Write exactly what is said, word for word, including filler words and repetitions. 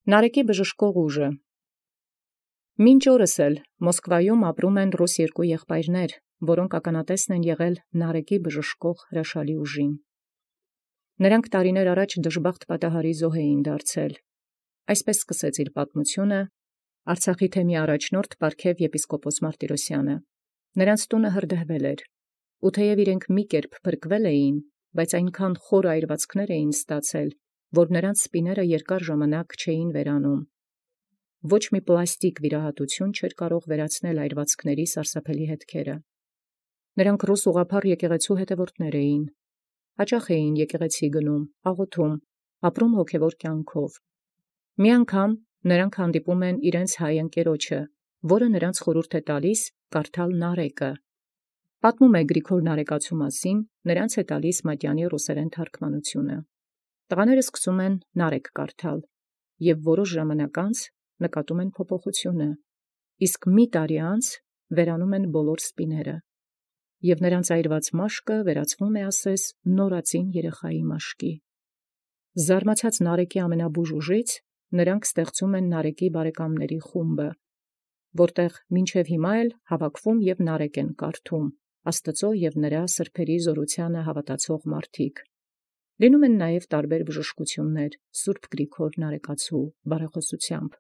Նարեկի բժշկող ուժը։ Մինչ օրս էլ Մոսկվայում ապրում են ռուս երկու եղբայրներ, որոնք ականատեսն են եղել Նարեկի բժշկող հրաշալի ուժին։ Նրանք տարիներ առաջ դժբախտ պատահարի զոհ էին դարձել։ Այսպես սկսեց իր պատմությունը Արցախի թեմի առաջնորդ Պարքև եպիսկոպոս Մարտիրոսյանը։ Նրանց տունը հրդեհվել էր, ու թեև իրենք մի կերպ փրկվել էին, բայց այնքան խոր այրվածքներ էին ստացել, որ նրանց սպիները երկար ժամանակ չէին վերանում։ Ոչ մի պլաստիկ վիրահատություն չէր կարող վերացնել այրվածքների սարսափելի հետքերը։ Նրանք ռուս ուղղափառ եկեղեցու հետևորդներ էին, հաճախ էին եկեղեցի գնում, աղոթում, ապրում հոգևոր կյանքով։ Մի անգամ նրանք հանդիպում են իրենց հայ ընկերոջը, որը նրանց խորհուրդ է տալիս կարդալ Նարեկը։ Պատմում է Գրիգոր Նարեկացու մասին, նրանց է տալիս Մատյանի ռուսերեն թարգմանությունը։ Տղաները սկսում են Նարեկ կարդալ, և որոշ ժամանակ անց նկատում են փոփոխությունը, իսկ մի տարի անց վերանում են բոլոր սպիները, և նրանց այրված մաշկը վերածվում է ասես նորածին երեխայի մաշկի։ Զարմացած Նարեկի ամենաբուժ ուժից, նրանք ստեղծում են Նարեկի բարեկամների խումբը, որտեղ մինչև հիմա էլ հավաքվում և Նարեկ են կարդում Աստծո և նրա սրբերի զորությանը հավատացող մարդիկ։ Լինում են նաև տարբեր բժշկություններ Սուրբ Գրիգոր Նարեկացու բարեխոսությամբ։